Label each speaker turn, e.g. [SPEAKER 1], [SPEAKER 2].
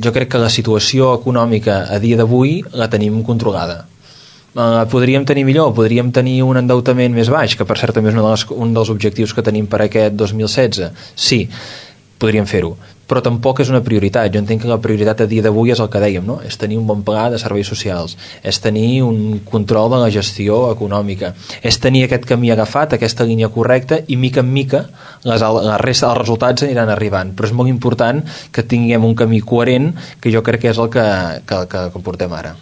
[SPEAKER 1] Jo crec que la situació econòmica a dia d'avui la tenim controlada. Podríem tenir millor, podríem tenir un endeutament més baix, que per cert també és un dels objectius que tenim per aquest 2016. Sí, podríem fer-ho, però tampoc és una prioritat. Jo entenc que la prioritat a dia d'avui és el que dèiem, no? És tenir un bon pla de serveis socials, és tenir un control de la gestió econòmica, és tenir aquest camí agafat, aquesta línia correcta, i mica en mica la resta dels resultats aniran arribant. Però és molt important que tinguem un camí coherent, que jo crec que és el que portem ara.